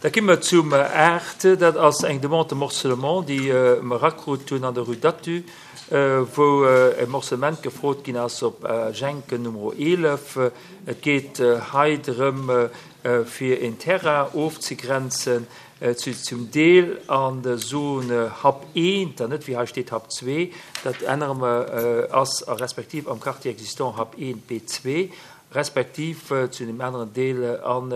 Da gi mer zum 8. Dat ass eng Demande de morcellement, déi mer erakrut hunn an der Rue d'Athus, wou e Morcellement gefrot ginn ass op Jenken Numero 11. Et geet hei drëm, fir een Terrain ofzegrenzen, zu zum Deel an der Zone Hub 1, an net wéi hei steet Hub 2, dat ännere mer, ass a respektiv am Quartier existant Hub 1 B2, respektiv zu deem aneren Deel an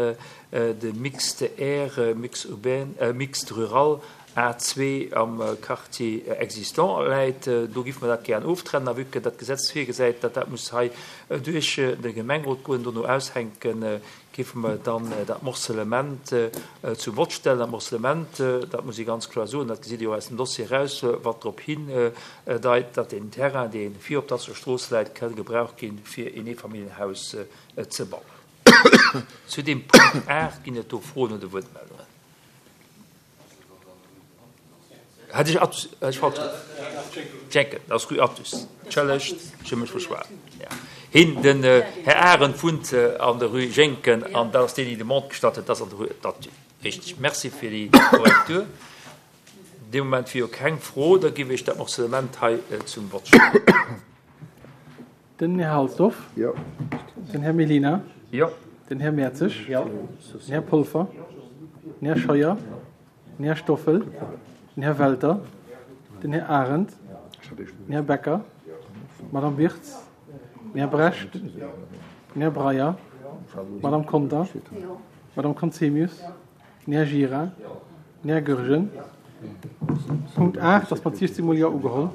de Mixte R, Mix urbain, Mixte rural A2 am Quartier existant läit. Do géife mer dat gären oftrennen. A vue que dat Gesetz virgesäit, datt dat muss hei duerch de Gemengerot goen, dono aushänken, géife mer dann dat Morcellement zum Vott stellen. Dat Morcellement, dat muss ee ganz kloer soen, dat gesitt Dir och aus dem Dossier eraus, wat drop hindeit, datt deen Terrain, dee vir op der Strooss läit, ka gebraucht ginn, fir een Eefamilljenhaus ze bauen. Zu deem Punkt 8 ginn et do Froen oder Wuertmeldungen? Hat ech Athus, hat ech falsch gesot? Jenken, dat ass Rue Athus. Entschëllegt, ech hu mech verschwat. Ja. Hien, den Här Arendt wunnt an der Rue Jenken an dat ass deen, deen déi Demande gestallt huet, dat ass an der Rue Athus. Richteg. Merci fir déi Korrektur. Dee Moment wier jo keng Fro, da géif ech dat Morcellement hei zum Vott stellen. Den Här Halsdorf. Jo. Den Här Mellina. Jo. Den Här Mertzig. Jo. Den Här Polfer. Den Här Scheuer. Den Här Stoffel. Den Här Welter. Den Här Arendt. Den Här Becker. D'Madame Wirtz. Den Här Brecht. Den Här Breyer. D'Madame Conter. D'Madame Conzemius. Den Här Gira. Den Här Goergen. Punkt 8 ass mat 16 mol Jo ugeholl.